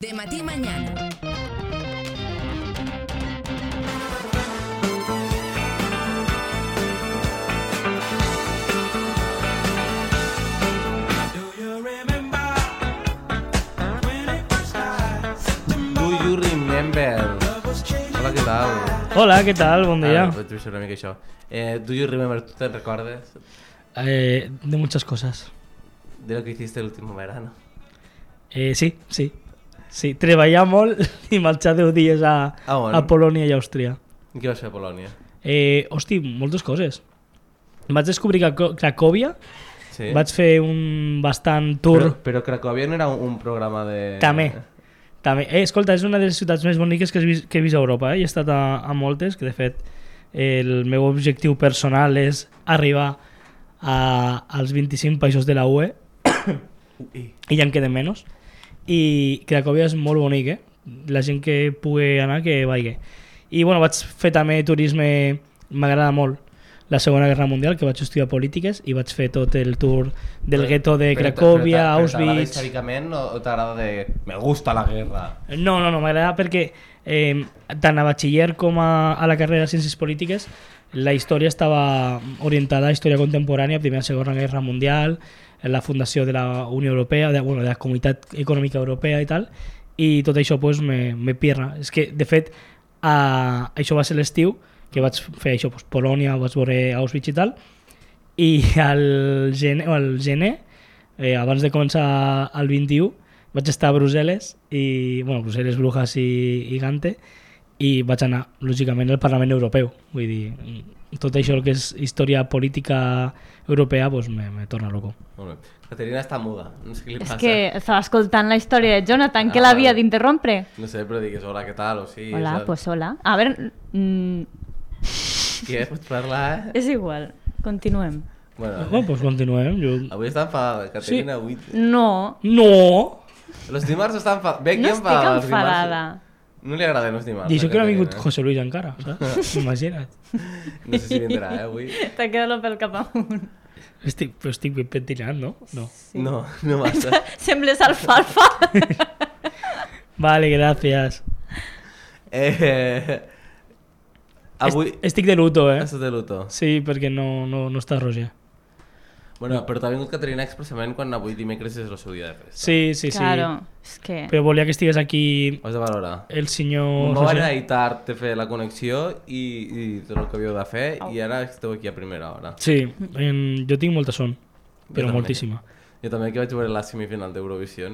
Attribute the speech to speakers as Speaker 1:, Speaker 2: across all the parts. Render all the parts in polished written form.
Speaker 1: De Matí Mañana.
Speaker 2: Do you remember? Hola, què tal?
Speaker 3: Hola, què tal? Bon dia.
Speaker 2: Vaig dir una mica això. Do you remember? ¿Tú te recuerdas
Speaker 3: De muchas cosas.
Speaker 2: de lo que hiciste el último verano?
Speaker 3: Sí, treballar molt i marxar 10 dies a Polònia i Àustria.
Speaker 2: I què vas fer a Polònia?
Speaker 3: Hosti, moltes coses. Vaig descobrir Cracòvia,
Speaker 2: Sí?
Speaker 3: vaig fer un bastant tour.
Speaker 2: Però Cracòvia no era un programa de...
Speaker 3: També. Escolta, és una de les ciutats més boniques que he vist a Europa. He estat a moltes, que de fet el meu objectiu personal és arribar als 25 països de la UE i ja en queden menys. I Cracòvia és molt bonic, la gent que pugui anar que vagi. I bueno, vaig fer també turisme, m'agrada molt la Segona Guerra Mundial, que vaig estudiar polítiques i vaig fer tot el tour del gueto de Cracòvia,
Speaker 2: Auschwitz. T'agrada
Speaker 3: Auschwitz.
Speaker 2: històricament o t'agrada de... Me gusta la guerra?
Speaker 3: No, m'agrada perquè tant a batxiller com a la carrera de Ciències Polítiques la història estava orientada a història contemporània, Primera i Segona Guerra Mundial, la fundació de la Unió Europea, de la Comunitat Econòmica Europea i tal, i tot això pues, me pirra. És que, de fet, això va ser l'estiu, que vaig fer això, pues, Polònia, vaig veure Auschwitz i tal, i al gener, abans de començar el 21, vaig estar a Brussel·les, Brussel·les, Brujas i Gante, i vaig anar, lògicament, al Parlament Europeu. Vull dir, tot això el que és història política europea pues, me torna loco.
Speaker 2: Molt bé. Caterina està muda, no sé què li passa.
Speaker 4: És que estava escoltant la història de Jonathan, que l'havia d'interrompre.
Speaker 2: No sé, però digues hola, què tal, o sí.
Speaker 4: Hola,
Speaker 2: o sea...
Speaker 4: pues hola. A veure...
Speaker 2: Què? Pots parlar,
Speaker 4: És igual, continuem.
Speaker 3: Bueno, pues continuem.
Speaker 2: Avui està enfadada, Caterina.
Speaker 3: Sí.
Speaker 2: Avui...
Speaker 4: No,
Speaker 2: Los dimarts està enfadada. Ve aquí
Speaker 4: no estic
Speaker 2: enfadada. els dimarts.
Speaker 4: enfadada.
Speaker 2: No li agraden els dimarts.
Speaker 3: I això
Speaker 2: a
Speaker 3: que no ha vingut
Speaker 2: Caterina.
Speaker 3: José Luis encara, saps? Imagina't.
Speaker 2: No sé si vindrà, avui.
Speaker 4: T'ha quedat el pèl cap amunt.
Speaker 3: Estic ben pentinat, no? No.
Speaker 4: Sí.
Speaker 2: No massa.
Speaker 4: Sembles alfalfa.
Speaker 3: Vale, gràcies.
Speaker 2: Avui...
Speaker 3: Estic de luto,
Speaker 2: Estàs de luto.
Speaker 3: Sí, perquè no està Roger.
Speaker 2: Bueno, però t'ha vingut Caterina expressament quan avui dimecres és el seu dia de festa.
Speaker 3: Sí.
Speaker 4: Claro, és que...
Speaker 3: Però volia que estigués aquí
Speaker 2: Ho has de valorar.
Speaker 3: el senyor
Speaker 2: No van
Speaker 3: Roger.
Speaker 2: anar tard de fer la connexió i tot el que havíeu de fer i ara esteu aquí a primera hora.
Speaker 3: Sí, jo tinc molta son, però
Speaker 2: també.
Speaker 3: moltíssima.
Speaker 2: Jo també que vaig veure la semifinal d'Eurovisió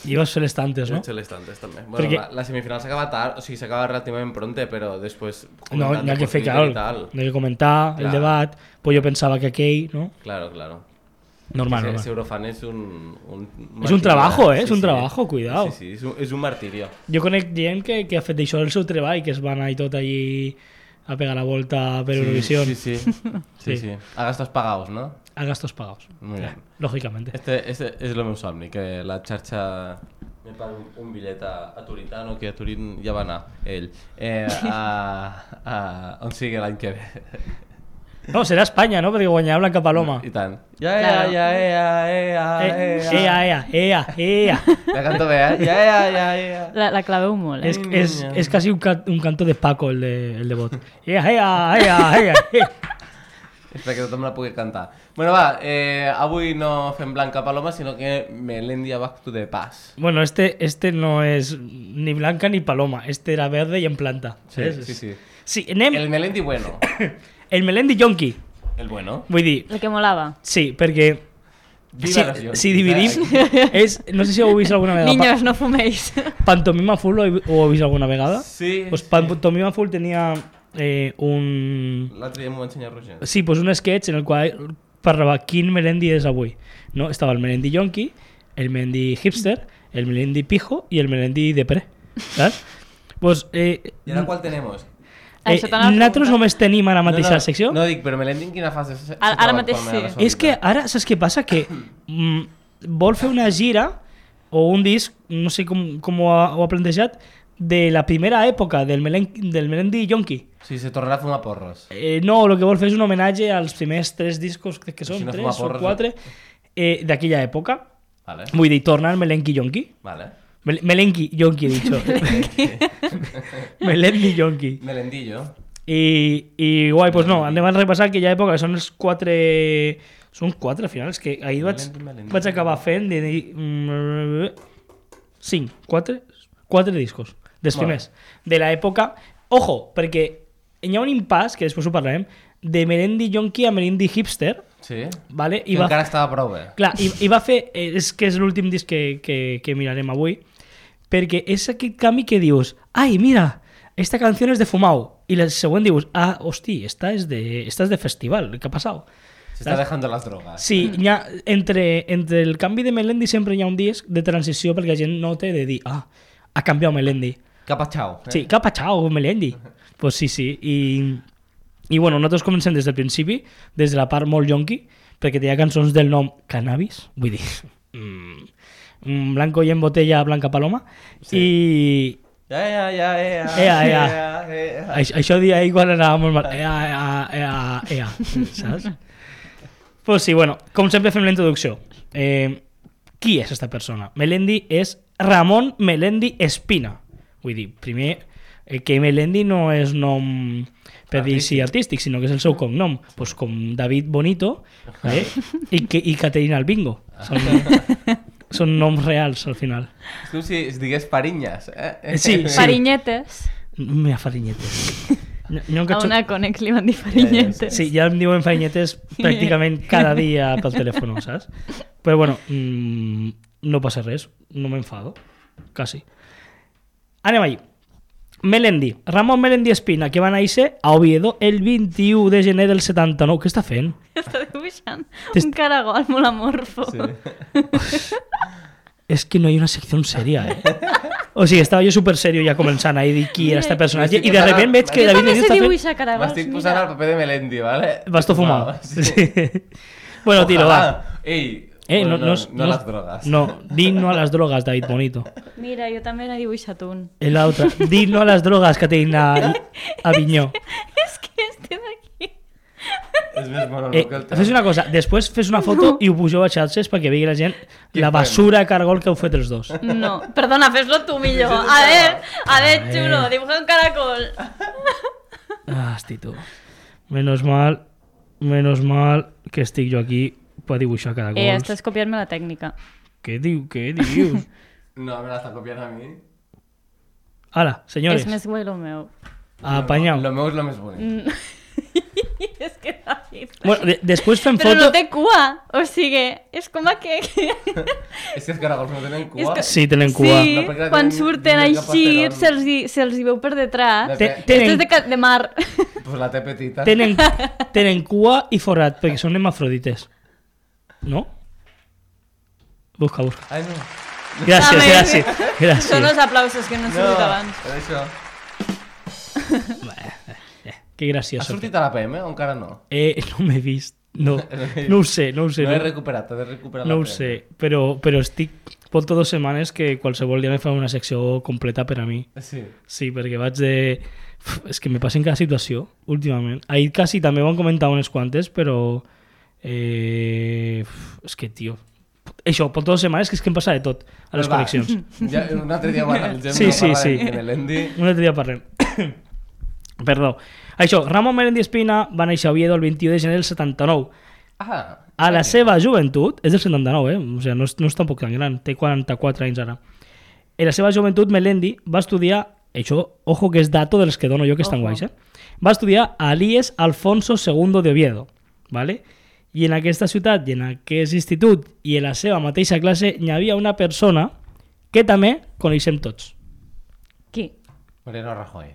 Speaker 3: I vas fer les tantes, no?
Speaker 2: vaig fer les tantes també. Bueno,
Speaker 3: Perquè...
Speaker 2: la semifinal s'acaba tard, o sigui, s'acaba relativament pronte, però després...
Speaker 3: No hi ha que fer,
Speaker 2: Twitter i
Speaker 3: claro,
Speaker 2: tal.
Speaker 3: no hi ha que comentar el
Speaker 2: Clar.
Speaker 3: debat, pues jo pensava que aquell, ¿no?
Speaker 2: Claro.
Speaker 3: Normal.
Speaker 2: Ese Eurofan es un
Speaker 3: És un trabajo,
Speaker 2: martirio,
Speaker 3: és un trabajo, cuidado.
Speaker 2: Sí, és un martirio.
Speaker 3: Jo conec gent que ha fet això el seu treball, que es va anar i tot allí a pegar la volta per Eurovisión.
Speaker 2: Sí. A gastos pagados, ¿no?
Speaker 3: A gastos pagados.
Speaker 2: Muy bien.
Speaker 3: Lógicamente.
Speaker 2: Este és el meu somni, que la xarxa me pagui un bitllet a Turitano, que a Turín ja va anar ell, on sigui l'any que ve.
Speaker 3: No, serà Espanya, no? Perquè guanyarà Blanca Paloma.
Speaker 2: I tant.
Speaker 4: Claro.
Speaker 3: Ea.
Speaker 2: La canto bé, eh?
Speaker 4: La claveu molt,
Speaker 3: És quasi un canto de Paco, el de Bot. Ea.
Speaker 2: Espera que tothom la pugui cantar. Bueno, va, avui no fem Blanca Paloma, sinó que Melendi back to the past.
Speaker 3: Bueno, este no és ni Blanca ni Paloma. Este era verde i en planta.
Speaker 2: Sí.
Speaker 3: Sí, anem...
Speaker 2: El Melendi bueno.
Speaker 3: El Melendi Yonki.
Speaker 2: El bueno.
Speaker 3: Vull dir,
Speaker 4: el que molava.
Speaker 3: sí, perquè...
Speaker 2: Viva los Yonkis,
Speaker 3: si dividim... no sé si ho heu vist alguna vegada.
Speaker 4: Niños, no fuméis.
Speaker 3: Pantomima Full ho heu vist alguna vegada?
Speaker 2: Sí.
Speaker 3: Pues Pantomima Full tenia un...
Speaker 2: L'altre dia m'ho va ensenyar Roger.
Speaker 3: Sí, pues un sketch en el qual parlava quin Melendi és avui. No? Estava el Melendi Yonki, el Melendi Hipster, el Melendi Pijo i el Melendi Depre. Saps? Pues,
Speaker 2: I ara qual tenemos?
Speaker 3: nosaltres només tenim ara mateix la secció.
Speaker 2: No dic, però Melendi en quina fase se
Speaker 4: Ara
Speaker 2: troba
Speaker 4: mateix
Speaker 2: actualment a la
Speaker 4: sí.
Speaker 2: seva
Speaker 3: És que
Speaker 2: vida?
Speaker 3: ara, saps què passa? Que vol fer una gira o un disc, no sé com ho ha plantejat, de la primera època del Melendi Yonki.
Speaker 2: Sí, se tornarà a fumar porros.
Speaker 3: No, el que vol fer és un homenatge als primers 3 discos, crec que són
Speaker 2: Si no
Speaker 3: 3
Speaker 2: fuma
Speaker 3: o
Speaker 2: porros,
Speaker 3: 4, d'aquella època.
Speaker 2: Vale.
Speaker 3: Vull dir, torna al Melendi Yonki.
Speaker 2: Vale.
Speaker 3: Melenki Yonki he dicho. Melendi Yonki.
Speaker 2: Melendillo.
Speaker 3: I guai, doncs no, anem a repassar aquella època, que són els 4... Són 4 finals, que ahir vaig acabar fent de dir... 4 discos, dels primers, de l'època... Ojo, perquè hi ha un impàs, que després ho parlarem, de Melendi Yonki a Melendi Hipster,
Speaker 2: Sí?
Speaker 3: vale?
Speaker 2: Que encara estava prou bé.
Speaker 3: Clar, i va fer... És que és l'últim disc que mirarem avui, perquè és aquest canvi que dius, ai, mira, esta canción es de Fumau, i el següent dius, ah, hosti, esta es de festival, ¿qué ha pasado?
Speaker 2: Se está dejando las drogas.
Speaker 3: Sí, entre el canvi de Melendi sempre hi ha un disc de transició perquè la gent nota de dir, ah, ha canviat Melendi.
Speaker 2: ¿Qué ha pasado?
Speaker 3: Sí, què ha passat, Melendi? Pues sí. I bueno, nosaltres comencem des del principi, des de la part molt yonqui, perquè tenia cançons del nom Cannabis, vull dir, Blanco y en botella, Blanca Paloma, i... Això dia ahir quan anava molt mal. Saps? Pues sí, bueno, com sempre fem la introducció. Qui és esta persona? Melendi és Ramon Melendi Espina. Vull dir, primer, que Melendi no és nom per dir si artístic, sinó que és el seu cognom. Pues com David Bonito i Caterina Albingo. Són noms reals, al final.
Speaker 2: És com si es digués Parinyes,
Speaker 3: Sí.
Speaker 4: Farinyetes.
Speaker 3: Mira, farinyetes.
Speaker 4: A una conec li van dir farinyetes.
Speaker 3: Sí, ja em diuen farinyetes pràcticament cada dia pel telèfon, saps? Però bueno, no passa res, no m'enfado, quasi. Anem allí. Melendi, Ramon Melendi Espina, que va néixer a Oviedo el 21 de gener del 79. Què està fent?
Speaker 4: Està dibuixant un caragol molt amorfo.
Speaker 2: Sí.
Speaker 3: És que no hi ha una secció seria, O sigui, estava jo super serio ja començant a dir qui era este personatge i de repente veig que
Speaker 4: Jo
Speaker 3: David
Speaker 4: també
Speaker 3: Benito
Speaker 4: sé
Speaker 3: està fent...
Speaker 4: dibuixar caragols,
Speaker 2: M'estic posant al paper de Melendi, ¿vale?
Speaker 3: Vas tot fumar.
Speaker 2: Sí.
Speaker 3: Bueno, tiro, va.
Speaker 2: Ei,
Speaker 3: No
Speaker 2: no a les drogas.
Speaker 3: No, di no a las drogas, David Bonito.
Speaker 4: Mira, jo també n'he dibuixat un.
Speaker 3: I l'altra, di no a las drogas, Caterina Avinyó.
Speaker 4: És que este d'aquí...
Speaker 2: És més mono que el teu.
Speaker 3: Fes una cosa, després fes una foto i ho pugeu a xarxes perquè vegi la gent la basura de cargol que heu fet els dos.
Speaker 4: No, perdona, fes-lo tu millor. A ver, xulo, dibuja un caracol.
Speaker 3: Ah, hosti, tu. Menos mal que estic jo aquí per dibuixar caracols.
Speaker 4: Estàs copiant-me la tècnica.
Speaker 3: Què dius?
Speaker 2: No, me la està copiant a mi.
Speaker 3: Hala, senyores.
Speaker 4: És més guai el meu.
Speaker 3: Apanyau.
Speaker 2: Lo meu és lo més bonic.
Speaker 4: És que David...
Speaker 3: Bueno, després fem
Speaker 4: Però
Speaker 3: foto...
Speaker 4: no té cua, o sigui, és com que...
Speaker 2: És que els caragols no tenen cua.
Speaker 3: Sí, tenen cua.
Speaker 4: Sí,
Speaker 2: No, perquè
Speaker 4: quan
Speaker 2: tenen-
Speaker 4: surten
Speaker 2: tenen
Speaker 4: així,
Speaker 2: cap
Speaker 4: se'ls hi veu per detrás.
Speaker 3: Tenen-
Speaker 4: Esto és de mar.
Speaker 2: Pues la té petita.
Speaker 3: Tenen cua i forat, perquè són hermafrodites. No? Busca.
Speaker 2: Ai, no.
Speaker 3: Gràcies.
Speaker 4: Són els aplausos que no han sortit abans.
Speaker 2: per això.
Speaker 3: Que
Speaker 2: Has
Speaker 3: graciós.
Speaker 2: sortit a la PM o encara no?
Speaker 3: No m'he vist. No ho sé.
Speaker 2: No he recuperat, he de recuperar
Speaker 3: No
Speaker 2: la
Speaker 3: ho
Speaker 2: PM.
Speaker 3: sé, però estic... Porto 2 setmanes que qualsevol dia me fa una secció completa per a mi.
Speaker 2: Sí.
Speaker 3: Sí, perquè vaig de... És que me passa en cada situació, últimament. Ahir quasi també ho han comentat unes quantes, però... És que, tio... Això, porto 2 setmanes que és que em passa de tot a les
Speaker 2: Va,
Speaker 3: connexions.
Speaker 2: Ja, un altre dia ho analitzem.
Speaker 3: Sí,
Speaker 2: no
Speaker 3: sí,
Speaker 2: parlarem
Speaker 3: sí.
Speaker 2: de Melendi.
Speaker 3: Un altre dia parlem. Perdó. Això, Ramon Melendi Espina va néixer a Oviedo el 21 de gener del 79.
Speaker 2: Ah,
Speaker 3: A la seva joventut, és del 79, o sigui, no és tampoc tan gran, té 44 anys ara. En la seva joventut, Melendi va estudiar, això, ojo que és dato dels que dono jo que estan guais, va estudiar a l'IES Alfonso II de Oviedo, ¿vale? I en aquesta ciutat i en aquest institut i en la seva mateixa classe hi havia una persona que també coneixem tots.
Speaker 4: Qui?
Speaker 2: Mariano Rajoy.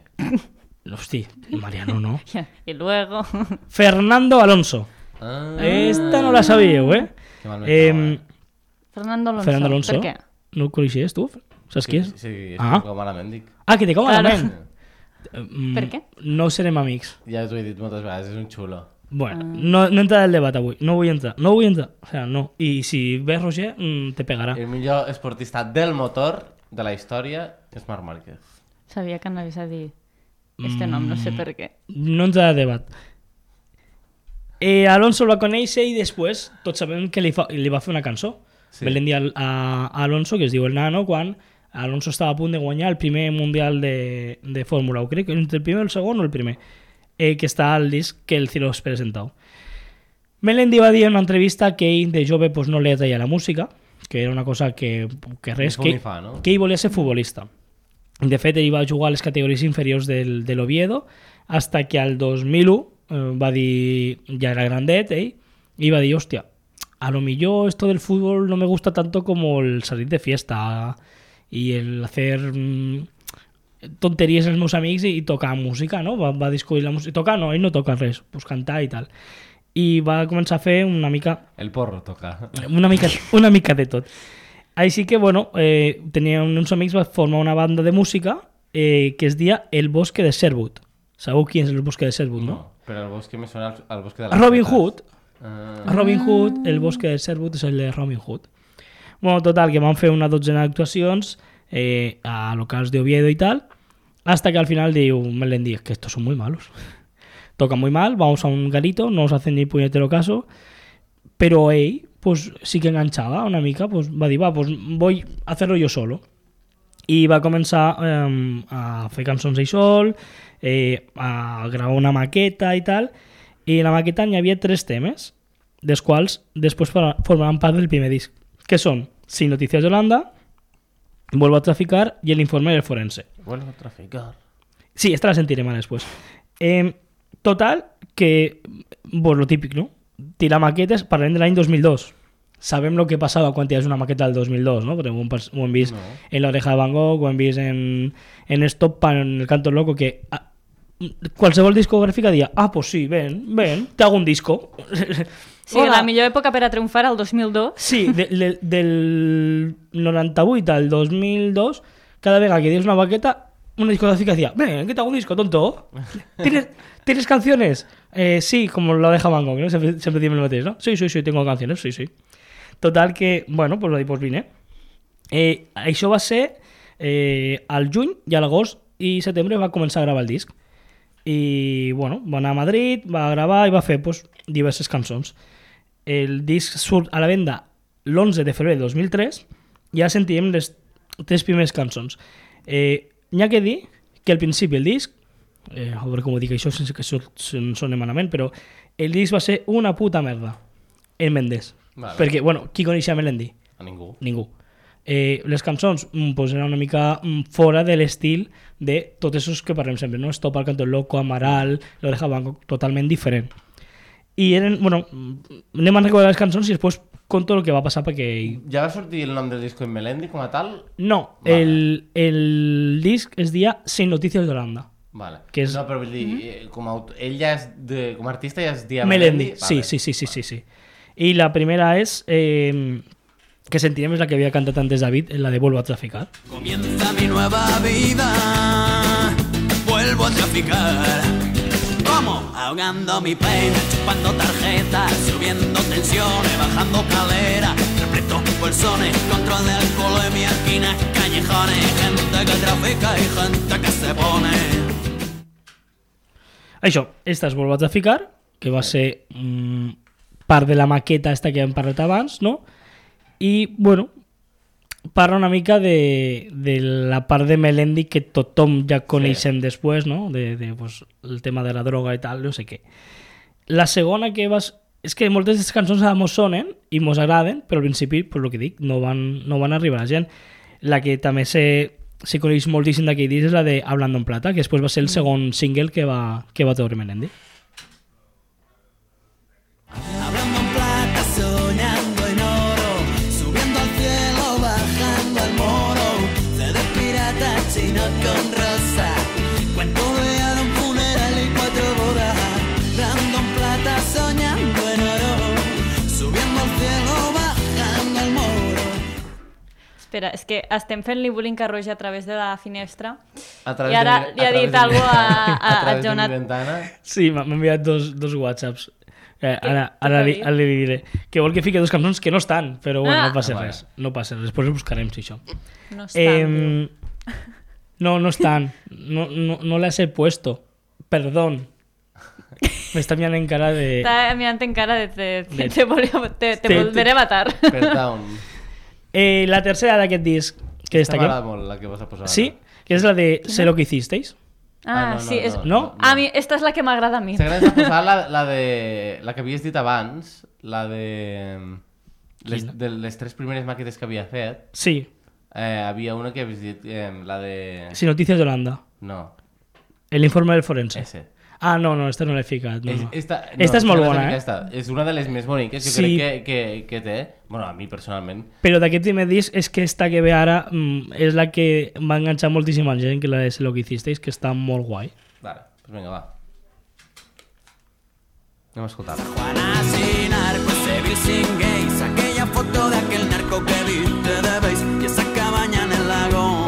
Speaker 3: Hosti, Mariano no.
Speaker 4: Y luego...
Speaker 3: Fernando Alonso.
Speaker 2: Ah,
Speaker 3: Esta no la sabíeu,
Speaker 2: que mal me
Speaker 4: Fernando Alonso.
Speaker 3: Fernando Alonso.
Speaker 4: Per què?
Speaker 3: No el coneixies, tu? Saps qui és?
Speaker 2: Sí, és
Speaker 3: Ah.
Speaker 2: com malament dic.
Speaker 3: Ah, que té com
Speaker 4: Claro.
Speaker 3: malament.
Speaker 4: Per què?
Speaker 3: No serem amics.
Speaker 2: Ja t'ho he dit moltes vegades, és un xulo.
Speaker 3: Bueno, no entraré al debat avui. No vull entrar. O sea, no. I si ves Roger, te pegarà.
Speaker 2: El millor esportista del motor de la història és Marc Márquez.
Speaker 4: Sabia que anaves a dir este nom, no sé per què.
Speaker 3: No entraré al debat. Alonso el va conèixer i després tots sabem que li va fer una cançó.
Speaker 2: Sí.
Speaker 3: Melendi a Alonso, que es diu El Nano, quan Alonso estava a punt de guanyar el primer Mundial de Fórmula 1, crec que entre el primer o el segon o el primer, que està al disc que el Ciro es presentau. Melendi va dir en una entrevista que ell de jove pues, no li atraia la música, que era una cosa que res, que ell volia ser futbolista. De fet, ell va jugar a les categories inferiors de l'Oviedo hasta que al 2001 va dir, ja era grandet ell, i va dir, hòstia, a lo millor esto del fútbol no me gusta tanto como el salir de fiesta y el hacer tonteries als meus amics i tocar música, no? Va descobrir la música. Tocar no, ell no toca res, pues cantar i tal. I va començar a fer una mica...
Speaker 2: El porro toca.
Speaker 3: Una mica de tot. Així que, bueno, tenia uns amics, va formar una banda de música que es deia El Bosque de Sherwood. Sabeu qui és el Bosque de Sherwood, no?
Speaker 2: Però el bosque me suena al bosque de las
Speaker 3: Robin
Speaker 2: Setas.
Speaker 3: Hood. Robin Hood, El Bosque de Sherwood és el de Robin Hood. Bueno, total, que van fer una dotzena d'actuacions a locals de Oviedo y tal, hasta que al final diu Melendi, que estos son muy malos. Tocan muy mal, vamos a un garito, no os hacen ni puñetero caso, pero ell pues, sí que enganxava una mica, pues, va dir, va, pues voy a hacerlo yo solo. I va començar a fer cançons ell sol, a gravar una maqueta i tal, i en la maqueta n'hi havia 3 temes, dels quals després formaran part del primer disc, que són Sin Noticias de Holanda, Vuelvo a traficar i El informe del forense.
Speaker 2: Vuelvo a traficar.
Speaker 3: Sí, esta la sentirem ara després. Total, que, pues lo típic, ¿no? Tirar maquetes, parlem de l'any 2002. Sabem lo que passava quan tires una maqueta del 2002, ¿no? Perquè ho hem vist en La Oreja de Van Gogh, ho hem vist en Stop, en El Canto Loco, que qualsevol discogràfica dia, pues sí, ven, te hago un disco.
Speaker 4: Sí, la millor època per a triomfar al 2002.
Speaker 3: Sí, del 98 al 2002, cada vegada que tienes una maqueta, una discográfica decía, ven, que te hago un disco, tonto. ¿Tienes canciones? Sí, como La Oreja de Van Gogh, ¿no? Siempre dime el mateix, ¿no? Sí, tengo canciones, sí. Total que, bueno, pues va dir, pues vine. Això va ser al juny i a l'agost i setembre va començar a gravar el disc. I, bueno, va anar a Madrid, va gravar i va fer pues, diverses cançons. El disc surt a la venda l'11 de febrer de 2003 i ja sentíem les 3 primeres cançons. N'hi ha que dir que al principi el disc, a veure com ho dic això sense que soni malament, però el disc va ser una puta merda. El Mendes.
Speaker 2: Vale.
Speaker 3: Perquè, bueno, qui coneixia Melendi?
Speaker 2: A ningú.
Speaker 3: Ningú. Les cançons pues, eren una mica fora de l'estil de tots esos que parlem sempre, no? Stop, El Canto Loco, Amaral, La Oreja de Van Gogh, totalment diferent. I eren, bueno, anem a recordar les cançons i després conto el que va passar perquè...
Speaker 2: Ja va sortir el nom del disco en Melendi com a tal?
Speaker 3: No, vale. el disc es deia Sin Noticias de Holanda.
Speaker 2: Vale.
Speaker 3: Que és...
Speaker 2: No, però vull dir, ell ja és com a artista ja es dia
Speaker 3: Melendi.
Speaker 2: Vale.
Speaker 3: Sí. I la primera és... que sentirem és la que havia cantat antes David, la de Vuelvo a traficar.
Speaker 1: Comienza mi nueva vida, vuelvo a traficar. ¿Cómo? Ahogando mi pena, chupando tarjetas, subiendo tensiones, bajando calera, repleto bolsones, control de alcoholemia, esquinas, callejones, gente que trafica y gente que se pone.
Speaker 3: Això, esta és Vuelvo a traficar, que va ser part de la maqueta esta que hem parlat abans, no? I, bueno, parla una mica de la part de Melendi que tothom ja coneixem després, no? Pues, el tema de la droga i tal, no sé què. La segona que vas... És que moltes d'aquestes cançons mos sonen i mos agraden, però al principi, pues, el que dic, no van arribar a la gent. La que també se coneix moltíssim d'aquell disc és la de Hablando en Plata, que després va ser el segon single que va treure Melendi.
Speaker 1: Hablando en plata, soñando en oro, subiendo al cielo, bajando al moro, CD pirata, chino con rosa, cuento de un funeral y 4 bodas. Hablando en plata, soñando en oro, subiendo al cielo, bajando al moro.
Speaker 4: Espera, és que estem fent-li bullying a Roger a través de la finestra
Speaker 2: I
Speaker 4: ara li ha dit alguna cosa a Jonat.
Speaker 3: Sí, m'ha enviat dos whatsapps. Ara li diré que vol que fiqui 2 cançons que no estan, però bueno, no passa res. No passa res, després ho buscarem, si això.
Speaker 4: No estan.
Speaker 3: No estan. No las he puesto. Perdón. M'està mirant en cara de...
Speaker 4: Està mirant en cara de te volveré a matar.
Speaker 2: Perdón.
Speaker 3: La tercera d'aquest disc, que destaquem.
Speaker 2: M'agrada molt la que vas a posar.
Speaker 3: Sí, que és la de Sé lo que hicisteis.
Speaker 4: Ah, sí, és...
Speaker 3: no.
Speaker 4: A mi, esta és la que m'agrada a mi.
Speaker 2: T'agrada posar la que havies dit abans, la de les 3 primeres màquetes que havia fet.
Speaker 3: Sí,
Speaker 2: Havia una que havies dit, la de...
Speaker 3: Sin Noticias de Holanda.
Speaker 2: No,
Speaker 3: El informe del forense.
Speaker 2: ese.
Speaker 3: Ah, no, esta no l'he ficat. No.
Speaker 2: Esta
Speaker 3: és molt bona,
Speaker 2: És una de les més boniques, jo
Speaker 3: Sí.
Speaker 2: crec que té. Bueno, a mi personalment.
Speaker 3: Però d'aquest primer disc és que esta que ve ara és la que va enganxar moltíssima gent, que la de Sé lo que hicisteis, que està molt guai.
Speaker 2: Vale, pues venga, va. Anem a escoltar.
Speaker 1: Juana sin narco, ese Bill sin gays, aquella foto de aquel narco que viste de base y esa cabaña en el lago.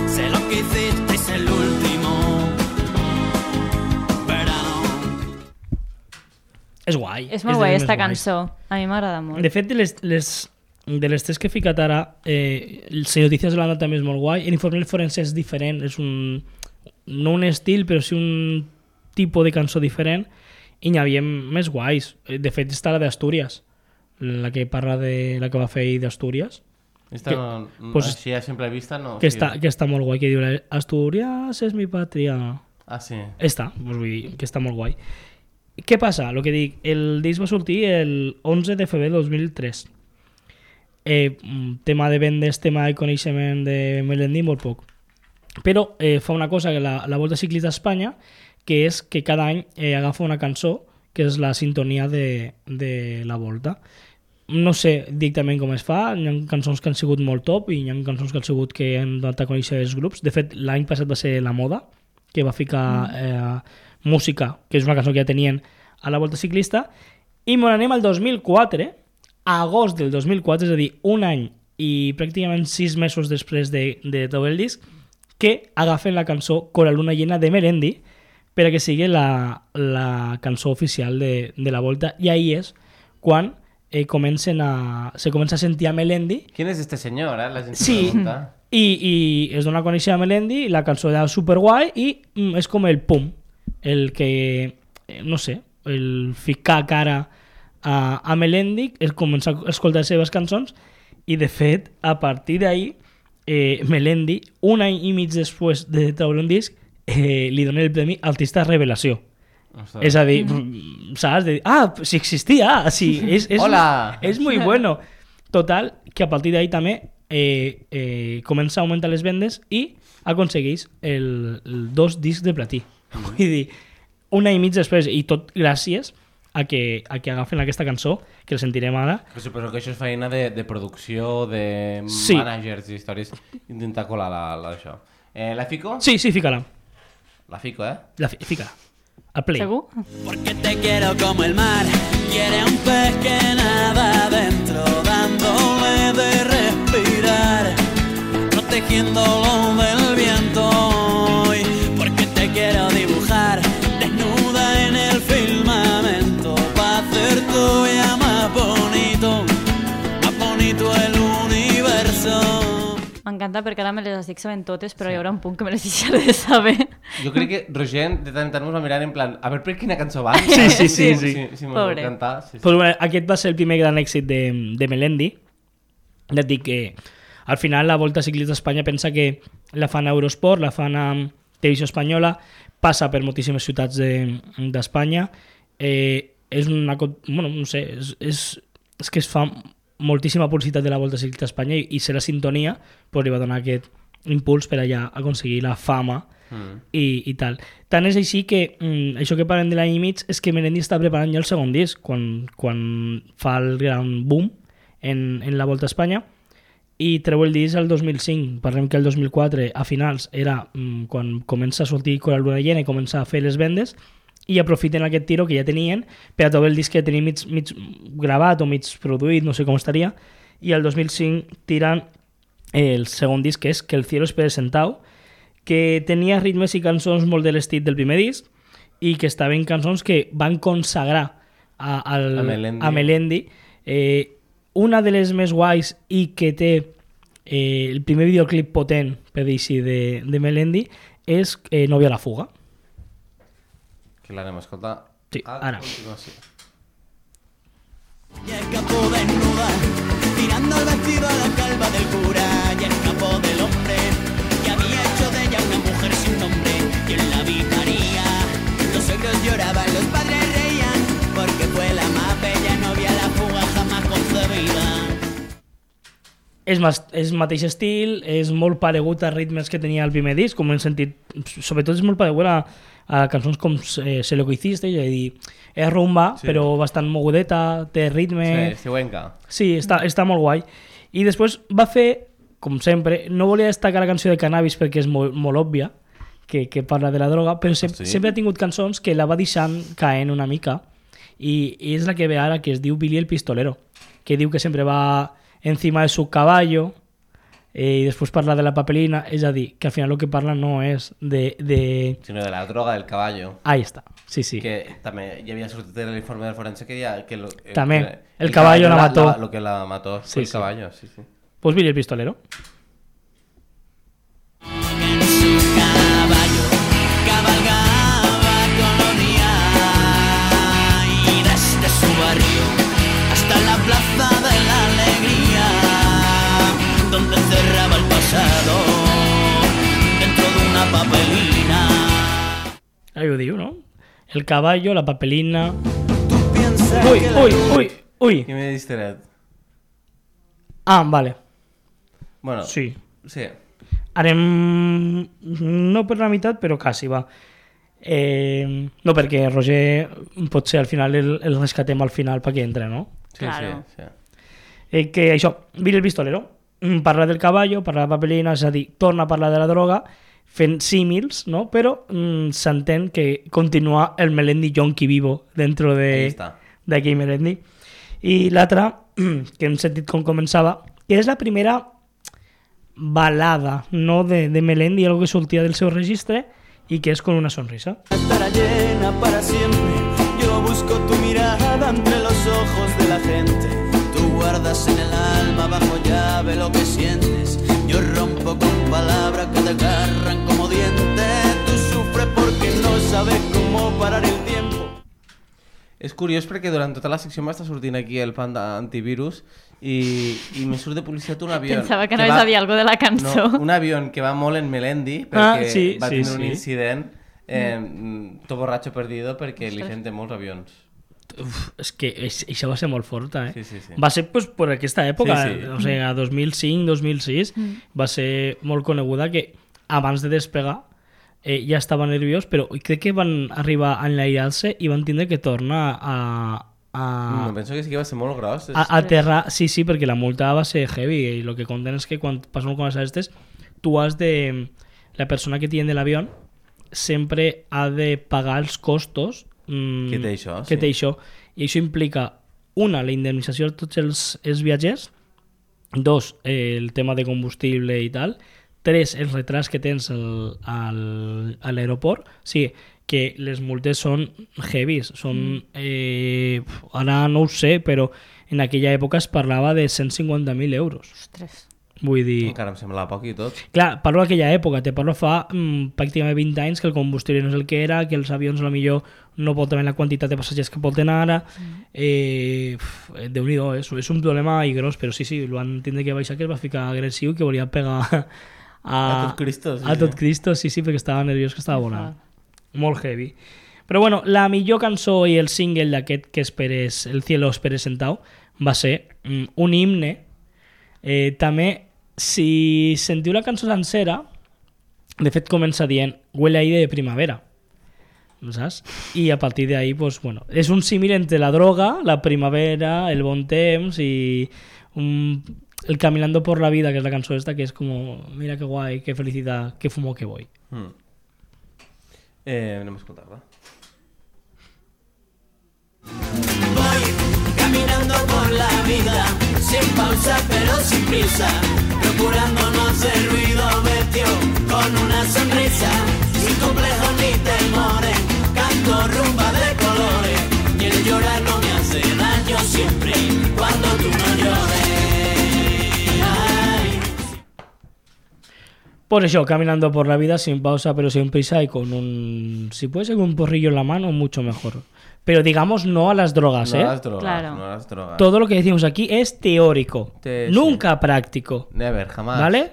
Speaker 1: Sé lo que hicisteis el último verano.
Speaker 3: És guai.
Speaker 4: És molt
Speaker 3: de
Speaker 4: guai,
Speaker 3: les
Speaker 4: esta
Speaker 3: més guais.
Speaker 4: cançó. A mi m'agrada molt.
Speaker 3: De fet, de les tres que he ficat ara, el Sin Noticias de Holanda també és molt guai. L'informe forense és diferent, és no un estil, però sí un tipus de cançó diferent, i n'hi havia més guais. De fet, està la d'Astúries, la que parla de la que va fer ahir d'Astúries,
Speaker 2: Esta
Speaker 3: Que-
Speaker 2: no,
Speaker 3: pues-
Speaker 2: així a simple vista no...
Speaker 3: que,
Speaker 2: sí.
Speaker 3: està molt guai, que diu Astúries és mi pàtria.
Speaker 2: Ah, sí.
Speaker 3: Està, doncs vull dir que està molt guai. Què passa? El que dic, el disc va sortir el 11 de febrer de 2003. Tema de vendes, tema de coneixement de Melendi, molt poc. Però fa una cosa que la Volta Ciclista d'Espanya, que és que cada any agafa una cançó que és la sintonia de la Volta. No sé directament com es fa, hi ha cançons que han sigut molt top i hi ha cançons que han sigut que han donat a conèixer els grups. De fet, l'any passat va ser La Moda, que va ficar música, que és una cançó que ja tenien a la Volta Ciclista, i me n'anem al 2004, a agost del 2004, és a dir, un any i pràcticament 6 mesos després de treure el disc, que agafen la cançó Con la luna llena de Melendi per a que sigui la cançó oficial de la Volta, i ahí és quan se comença a sentir a Melendi.
Speaker 2: ¿Quién es este señor, La gent
Speaker 3: Sí,
Speaker 2: pregunta.
Speaker 3: i es dona a conèixer a Melendi, la cançó era superguai i és com el pum, el que, no sé, el ficar cara a Melendi, és començar a escoltar les seves cançons, i de fet, a partir d'ahir, Melendi, un any i mig després de treure un disc, li dona el premi Artista Revelació.
Speaker 2: Ostres.
Speaker 3: És a dir, saps? De dir, si existia, sí,
Speaker 2: Hola!
Speaker 3: és muy bueno. Total, que a partir d'ahí també comença a augmentar les vendes i aconsegueix el 2 discs de platí. Vull dir, un any i mig després, i tot gràcies a que agafen aquesta cançó, que la sentirem ara.
Speaker 2: Que suposo que això és feina de producció, de
Speaker 3: Sí.
Speaker 2: managers i històries, intentar colar això. La fico?
Speaker 3: Sí, fica-la.
Speaker 2: La fico,
Speaker 3: Fica-la. A play.
Speaker 4: Segur?
Speaker 1: Porque te quiero como el mar quiere un pez que nada adentro, dándole de respirar, protegiéndolo del viento. Y porque te quiero dibujar desnuda en el firmamento, para hacer todavía más bonito el universo.
Speaker 4: M'encanta perquè ara me les estic sabent totes, però hi haurà un punt que me les deixaré de saber.
Speaker 2: Jo crec que Roger de tant en tant mos va mirant en plan a veure per quina cançó va.
Speaker 3: Sí.
Speaker 2: Si mos vol
Speaker 4: Pobre.
Speaker 2: cantar. Sí, sí.
Speaker 3: Pues bueno, aquest va ser el primer gran èxit de Melendi. Ja et dic que al final la Volta Ciclista d'Espanya pensa que la fan a Eurosport, la fan a Televisió Espanyola, passa per moltíssimes ciutats d'Espanya. És una... Bueno, no sé, és que es fa moltíssima publicitat de la Volta Ciclista d'Espanya i ser la sintonia pues, li va donar aquest impuls per allà aconseguir la fama i tal. Tant és així que això que parlem de l'any i mig és que Melendi està preparant ja el segon disc quan fa el gran boom en la Volta a Espanya i treu el disc el 2005. Parlem que el 2004 a finals era quan comença a sortir Con la luna llena i comença a fer les vendes i aprofiten aquest tiro que ja tenien per a trobar el disc que tenien mig gravat o mig produït, no sé com estaria, i el 2005 tiren el segon disc, que és Que el cielo espere sentado, que tenia ritmes i cançons molt de l'estil del primer disc i que estaven cançons que van consagrar a Melendi. Una de les més guais i que té el primer videoclip potent, per dir així, de Melendi és Novia a la fuga.
Speaker 2: Que l'anem a escoltar.
Speaker 3: Sí, ara.
Speaker 2: continuació.
Speaker 1: Y escapó desnuda, tirando el vestido a la calva del cura. Y
Speaker 3: és mateix estil, és molt paregut a ritmes que tenia el primer disc, com hem sentit, sobretot és molt paregut a cançons com Sé lo que hiciste, és a dir, és rumba,
Speaker 2: Sí.
Speaker 3: però bastant mogudeta, té ritme...
Speaker 2: Sí, estiuenca.
Speaker 3: Sí, està molt guai. I després va fer, com sempre, no volia destacar la cançó de Cannabis perquè és molt òbvia, que parla de la droga, però
Speaker 2: sí?
Speaker 3: sempre ha tingut cançons que la va deixant caent una mica, i és la que ve ara, que es diu Billy el Pistolero, que diu que sempre va encima de su caballo, i després parla de la papelina, és a dir, que al final el que parla no és de...
Speaker 2: Sinó de la droga del caballo.
Speaker 3: Ahí està, sí.
Speaker 2: Que també hi havia sortit en l'informe del forense que deia que
Speaker 3: També, el caballo la mató.
Speaker 2: Lo que la mató
Speaker 3: Sí,
Speaker 2: fue el
Speaker 3: sí.
Speaker 2: caballo, sí.
Speaker 3: Pues Billy el Pistolero.
Speaker 1: En su caballo cabalgaba Colonia y desde su barrio hasta la plaza de la alegría, donde cerraba el pasado dentro de una papelina.
Speaker 3: Ahí ho diu, no? El caballo, la papelina...
Speaker 1: Tú piensas
Speaker 3: Ui,
Speaker 1: que la
Speaker 3: ui!
Speaker 2: I m'he distret.
Speaker 3: Ah, vale.
Speaker 2: Bueno,
Speaker 3: Sí.
Speaker 2: Sí.
Speaker 3: Anem... No per la meitat, però quasi, va. No, perquè Roger potser al final el rescatem al final perquè entra, no?
Speaker 2: Sí,
Speaker 4: Claro.
Speaker 2: sí.
Speaker 3: Que això, Billy el Pistolero, parla del caballo, parla de la papelina, és a dir, torna a parlar de la droga, fent símils, no? Però s'entén que continua el Melendi yonki vivo dentro
Speaker 2: Ahí està.
Speaker 3: d'aquell Melendi. I l'altra, que hem sentit com començava, que és la primera balada, no de Melendi, algo que sortia del seu registre i que és con una sonrisa.
Speaker 1: estará llena para siempre. Yo busco tu mirada entre los ojos de la gente. Tú guardas en el alma bajo llave lo que sientes. Yo rompo con palabras que te agarran como dientes. Tú sufres porque no sabes cómo parar el tiempo.
Speaker 2: És curiós perquè durant tota la secció m'està sortint aquí el panda antivirus i me surt de publicitat un avió.
Speaker 4: Pensava que anaves a dir alguna de la cançó.
Speaker 2: No, un avió que va molt en Melendi perquè
Speaker 3: sí,
Speaker 2: va
Speaker 3: sí,
Speaker 2: tindre un
Speaker 3: sí.
Speaker 2: incident tot borratxo perdido perquè li fem de molts avions.
Speaker 3: Uf, és que això va ser molt forta, eh?
Speaker 2: Sí.
Speaker 3: Va ser pues, per aquesta època,
Speaker 2: Sí.
Speaker 3: o sigui, a 2005, 2006, va ser molt coneguda que abans de despegar ja estava nerviós, però crec que van arribar a enlairar-se i van tindre que tornar
Speaker 2: No, penso que sí que va ser molt gros.
Speaker 3: a aterrar. Sí, perquè la multa va ser heavy i el que conten és que quan passen coses aquestes, tu has de... La persona que tiene l'avió sempre ha de pagar els costos
Speaker 2: Que té això,
Speaker 3: que
Speaker 2: sí.
Speaker 3: té això. I això implica, una, la indemnització de tots els viatgers, dos, el tema de combustible i tal, tres, els retrats que tens a l'aeroport. Sí, que les multes són heavies, són... ara no ho sé, però en aquella època es parlava de 150.000 euros.
Speaker 4: Ostres.
Speaker 3: Vull dir...
Speaker 2: Encara em sembla poc i tot.
Speaker 3: Clar, parlo d'aquella època, te parlo fa pràcticament 20 anys que el combustible no és el que era, que els avions a lo millor no porten la quantitat de passatgers que porten ara. Déu-n'hi-do, és un problema i gros, però sí, el van tindre que baixar, que es va ficar agressiu, que volia pegar
Speaker 2: A tot Cristo, sí.
Speaker 3: a tot Cristo, sí, perquè estava nerviós, que estava volant. Molt heavy. Però bueno, la millor cançó i el single d'aquest que esperes, El cielo esperes sentado, va ser un himne. També, si sentiu la cançó sencera, de fet comença dient huele a aire de primavera, saps? I a partir d'ahí, pues, bueno, és un símil entre la droga, la primavera, el bon temps i el Caminando por la vida, que és la cançó esta, que és com, mira que guai, que felicitat, que fumo que voy.
Speaker 2: Anem a escoltar-la.
Speaker 1: Voy caminando por la vida, sin pausa pero sin prisa, procurando no hacer ruido, vestido con una sonrisa, sin complejos ni temores, canto rumba de colores, y el llorar no me hace daño siempre, cuando tú no llores. Ay.
Speaker 3: Por eso, caminando por la vida sin pausa pero sin prisa y con un... Si puede ser con un porrillo en la mano, mucho mejor. Pero digamos no a las drogas,
Speaker 2: No
Speaker 3: ¿eh?
Speaker 2: a las drogas,
Speaker 4: Claro.
Speaker 2: no a las drogas.
Speaker 3: Todo lo que decimos aquí es teórico, nunca práctico,
Speaker 2: Never, jamás.
Speaker 3: ¿vale?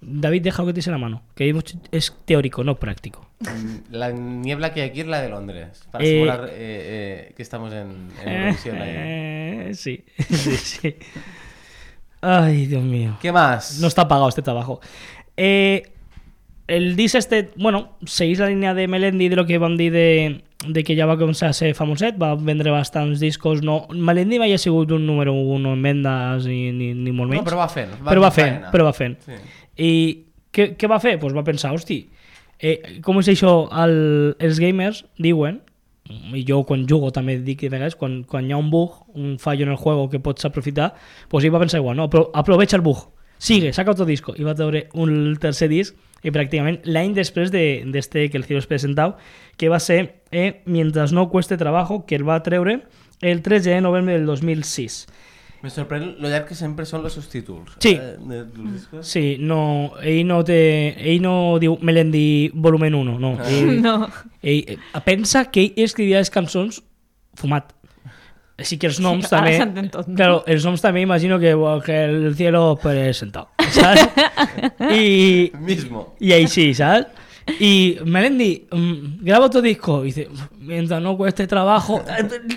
Speaker 3: David, deja que te dice la mano, que es teórico, no práctico.
Speaker 2: La niebla que hay aquí es la de Londres, para simular que estamos en Eurovisión ahí.
Speaker 3: Sí, sí, sí. Ay, Dios mío.
Speaker 2: ¿Qué más?
Speaker 3: No està pagat este trabajo. El disc bueno, seguís la línia de Melendi de lo que vam dir de que ja va començar a ser famoset, va vendre bastants discos. No, Melendi mai ha sigut un número 1 en vendes ni molt menys.
Speaker 2: No, però va fent.
Speaker 3: Però va fent.
Speaker 2: Sí.
Speaker 3: I què va fer? Pues va pensar, hosti, com és això? Els gamers diuen, i jo quan jugo també dic de vegades, quan hi ha un bug, un fallo en el juego que pots aprofitar, pues ell va pensar igual, no? Aprovecha el bug, sigue, saca otro disco, i va treure un tercer disc, i pràcticament l'any després d'este que el Ciro es presentau, que va ser Mientras no cueste trabajo, que el va treure el 13 de novembre del 2006.
Speaker 2: Me sorprèn lo llarg que sempre són els seus títols.
Speaker 3: Sí.
Speaker 2: Dels discos.
Speaker 3: Sí, no, ell no diu Melendi volumen 1, no.
Speaker 4: No.
Speaker 3: Ell pensa que ell escrivia les cançons fumat. Així que els noms
Speaker 4: Sí, ara
Speaker 3: també...
Speaker 4: s'entén tot, no?
Speaker 3: Claro, els noms també imagino que el cielo presentado, ¿sabes?
Speaker 2: Mismo.
Speaker 3: Y ahí sí, ¿sabes? Y Melendi, graba otro disco. Y dice, mientras no cueste trabajo,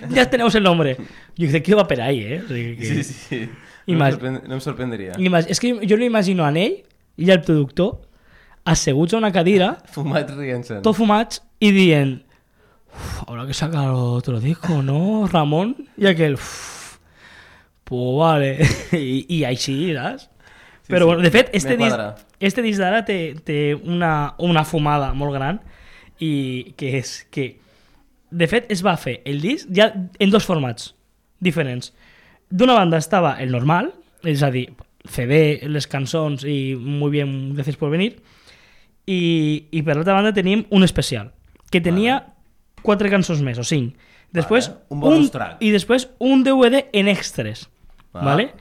Speaker 3: ya tenemos el nombre. Yo dice, ¿qué va per ahí, eh? O sigui que...
Speaker 2: Sí.
Speaker 3: I
Speaker 2: No
Speaker 3: més-
Speaker 2: em sorprendria.
Speaker 3: És que jo l'imagino a ell i al productor asseguts a una cadira,
Speaker 2: Fumat rient-se'n.
Speaker 3: tot fumats, i dient, habrá que sacar otro disco, ¿no, Ramon? Y aquel, pues vale. I així, saps?
Speaker 2: Sí,
Speaker 3: Però
Speaker 2: sí,
Speaker 3: bueno, de fet,
Speaker 2: me quadra.
Speaker 3: este disc d'ara té una fumada molt gran, i que és que, de fet, es va fer el disc ja en dos formats diferents. D'una banda estava el normal, és a dir, CD, les cançons i muy bien, gracias por venir, i per l'altra banda teníem un especial, que tenia 4 cançons més, o 5. Després,
Speaker 2: Vale, un bonus track.
Speaker 3: I després un DVD en extras, ¿vale?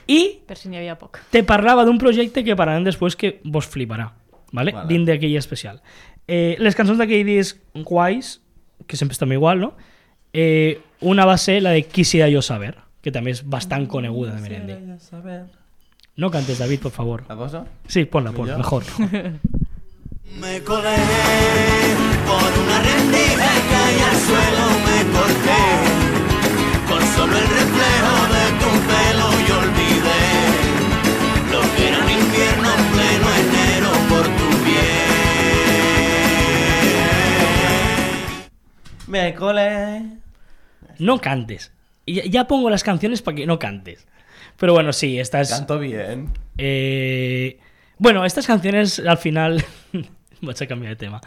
Speaker 3: I
Speaker 4: Per si n'hi havia poc.
Speaker 3: te parlava d'un projecte que parlarem després que vos fliparà, ¿vale?
Speaker 2: Vale.
Speaker 3: Dins d'aquell especial. Les cançons d'aquell disc guais, que sempre estan igual, no? Una va ser la de Quisiera yo saber, que també és bastant coneguda de Melendi. No cantes, David, por favor.
Speaker 2: La poso?
Speaker 3: Sí, ponla,
Speaker 2: ¿Yo?
Speaker 3: mejor.
Speaker 1: Me colé por una rendija y caí al suelo, me corté con solo el reflejo de tu pelo y olvidé lo que era un infierno en pleno enero por tu piel.
Speaker 2: Me colé.
Speaker 3: No cantes. Ya pongo las canciones para que no cantes. Pero bueno, sí, estas...
Speaker 2: Canto bien.
Speaker 3: Bueno, estas canciones al final... Vaig a canviar de tema.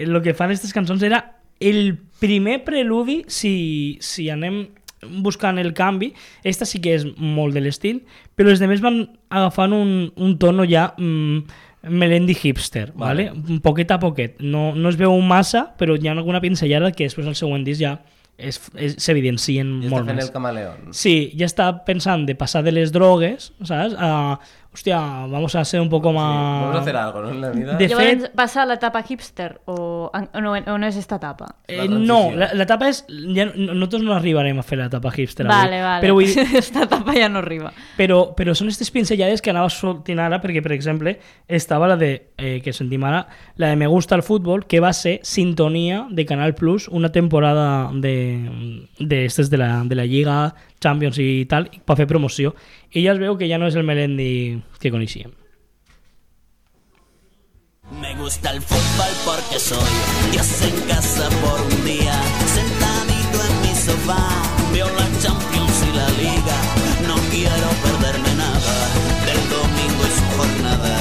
Speaker 3: Lo que fan estas cançons era el primer preludi, si anem buscant el canvi. Esta sí que és molt de l'estil, però els demés van agafant un tono ja Melendi hipster, ¿vale? Poquet a poquet. No es veu massa, però hi ha alguna pinzellada que després al següent disc ja s'evidencien
Speaker 2: Ja
Speaker 3: molt
Speaker 2: està fent
Speaker 3: més.
Speaker 2: el camaleón.
Speaker 3: Sí, ya está pensando de pasar de les drogues, ¿sabes? A, hostia, vamos a ser un poco más...
Speaker 2: Vamos a hacer algo, ¿no? En la vida.
Speaker 3: De
Speaker 4: Llavors,
Speaker 3: fet-
Speaker 4: passa a l'etapa hipster o no és esta etapa?
Speaker 2: La
Speaker 3: no,
Speaker 2: transició.
Speaker 3: l'etapa és... Ja, nosotros no arribarem a fer l'etapa hipster
Speaker 4: Vale,
Speaker 3: avui.
Speaker 4: vale.
Speaker 3: Però, vull dir,
Speaker 4: Esta etapa ja no arriba.
Speaker 3: però són aquestes pinzellades que anava sortint ara, perquè, per exemple, estava la de, que sentim ara, la de Me gusta el fútbol, que va ser sintonia de Canal Plus, una temporada de estes de la Lliga, Champions i tal, per fer promoció. I ja es veu que ja no és el Melendi que coneixíem.
Speaker 1: Me gusta el fútbol porque soy Dios en casa por un día, sentadito en mi sofá, veo la Champions y la Liga, no quiero perderme nada del domingo y su jornada,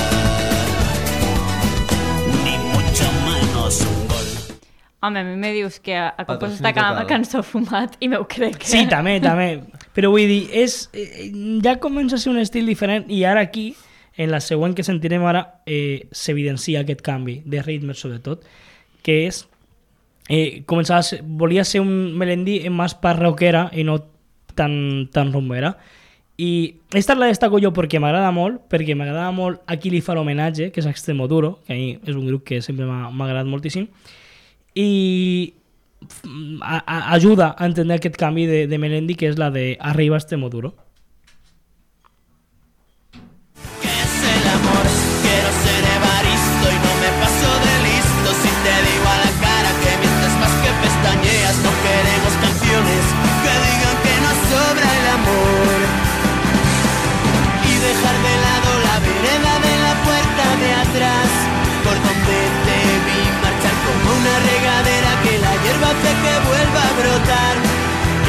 Speaker 1: ni mucho menos un gol.
Speaker 4: Home, a mi me dius que a cop
Speaker 2: Patrocini
Speaker 4: està
Speaker 2: total.
Speaker 4: cançó fumat i m'ho crec.
Speaker 3: Sí, també. Però vull dir, ja comença a ser un estil diferent i ara aquí, en la següent que sentirem ara, s'evidencia aquest canvi de ritme, sobretot, que és... volia ser un Melendi més parroquera i no tan rumbera. I esta la destaco jo perquè m'agrada molt, a qui li fa l'homenatge, que és Extremoduro, que a mi és un grup que sempre m'ha agradat moltíssim, i ajuda a entender aquest canvi de Melendi, que és la de Arriba Extremoduro.
Speaker 1: ¿Qué es el amor? Quiero ser Evaristo y no me paso de listo. Si te digo a la cara que mientes más que pestañeas, no queremos canciones que digan que nos sobra el amor.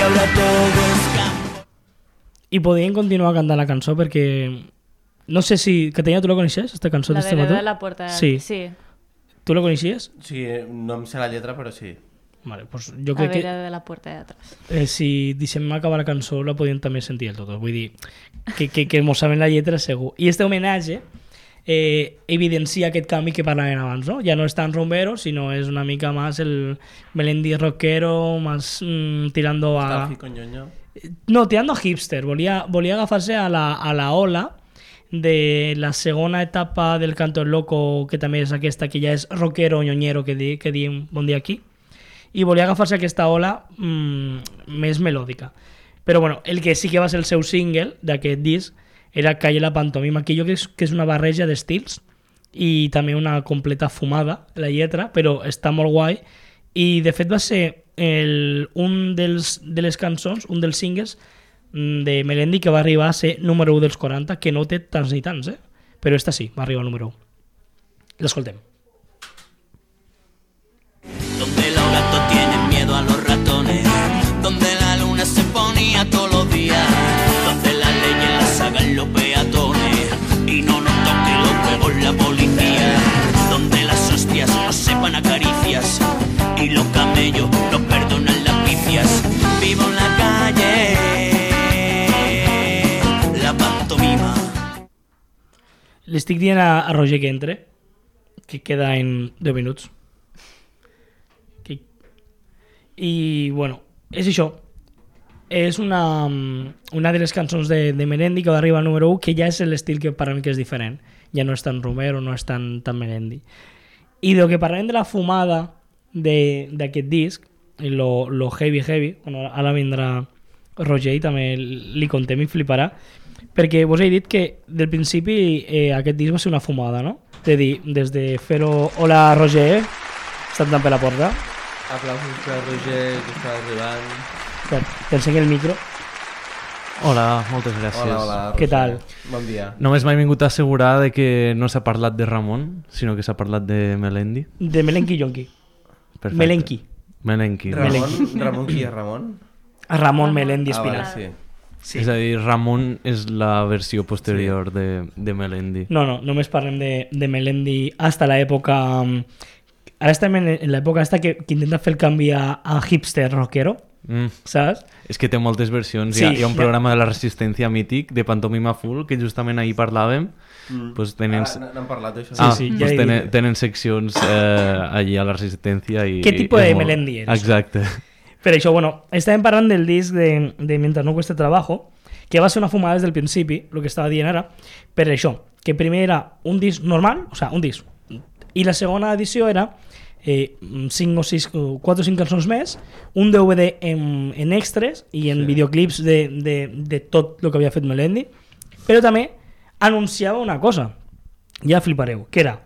Speaker 1: que ahora todo es campo.
Speaker 3: I podien continuar cantant la cançó perquè... No sé si... Catanya, tu la coneixes, esta cançó
Speaker 4: La
Speaker 3: d'este
Speaker 4: de
Speaker 3: mató?
Speaker 4: de la puerta.
Speaker 3: Sí.
Speaker 4: Sí.
Speaker 3: Tu la coneixies?
Speaker 2: Sí, no em sé la lletra, però sí.
Speaker 3: Vale, pues jo
Speaker 4: A
Speaker 3: crec
Speaker 4: ver,
Speaker 3: que
Speaker 4: de la puerta de atrás.
Speaker 3: si deixem acabar la cançó la podien també sentir el tot. Vull dir, que mos saben la lletra segur. I este homenatge evidencia aquest canvi que parlaven abans, ¿no? Ja no és tan rumbero, sinó és una mica más el Melendi rockero, más tirando a...
Speaker 2: Stafi con ñoño.
Speaker 3: No, tirando a hipster. Volia agafar-se a la ola de la segona etapa del Canto del Loco, que també és aquesta, que ja és rockero, ñoñero, que diem bon dia aquí. I volia agafar-se aquesta ola més melòdica. Però bueno, el que sí que va ser el seu single d'aquest disc era Calle la pantomima, que jo crec que és una barreja d'estils i també una completa fumada, la lletra, però està molt guai. I de fet va ser un de les cançons, un dels singles de Melendi que va arribar a ser número 1 dels 40, que no té tants ni tants, però esta sí, va arribar al número 1. L'escoltem.
Speaker 1: Donde los gatos tienen miedo a los ratones, donde la luna se ponía todos los días, donde las leyes las hagan los peatones y no nos toque los huevos la policía, donde las hostias no sepan a caricias y los camellos no perdonan las picias. Vivo en la calle, la pantomima.
Speaker 3: L'estic dient a Roger que entre, que queda en 10 minuts. I, bueno, és això. És una de les cançons de Melendi que va arribar al número 1, que ja és l'estil que parlem que és diferent. Ja no és tan Romero, no és tan Melendi. I del que parlem de la fumada d'aquest disc, lo heavy, bueno, ara vindrà Roger i també li contem i fliparà, perquè vos he dit que del principi aquest disc va ser una fumada, no? És a dir, des de fer-ho... Hola, Roger, està entrant per la porta.
Speaker 2: Aplausos per Roger, que està arribant.
Speaker 3: T'ensenyo el micro.
Speaker 5: Hola, moltes gràcies.
Speaker 2: Hola,
Speaker 3: Què
Speaker 2: Roger.
Speaker 3: tal?
Speaker 2: Bon dia.
Speaker 5: Només m'he vingut a assegurar de que no s'ha parlat de Ramon, sinó que s'ha parlat de Melendi.
Speaker 3: De Melenki Yonki.
Speaker 5: Perfecte.
Speaker 3: Melenki.
Speaker 5: Melenki.
Speaker 2: Ramon qui és Ramon?
Speaker 3: Ramon Melendi
Speaker 2: Vale,
Speaker 3: Espinal.
Speaker 2: sí.
Speaker 3: Sí.
Speaker 5: És a dir, Ramon és la versió posterior de Melendi.
Speaker 3: No, només parlem de Melendi hasta l'època... Ara estem en l'època esta que intenta fer el canvi a hipster rockero, saps?
Speaker 5: És que té moltes versions.
Speaker 3: Sí,
Speaker 5: Hi ha un programa de la Resistència mític, de Pantomima Full, que justament ahir parlàvem. Pues tenen...
Speaker 2: N'hem parlat d'això.
Speaker 3: Sí,
Speaker 5: pues
Speaker 3: ja he dit.
Speaker 5: tenen seccions allí a la Resistència. I,
Speaker 3: Què tipus de
Speaker 5: és molt-
Speaker 3: Melendi eres?
Speaker 5: Exacte.
Speaker 3: Per això, bueno, estàvem parlant del disc de Mientras no cueste trabajo, que va ser una fumada des del principi, el que estava dient ara, per això, que primer era un disc normal, o sigui, un disc, i la segona edició era 4 o 5 cançons més, un DVD en extras i en videoclips de tot el que havia fet Melendi, però també anunciava una cosa, ja flipareu, que era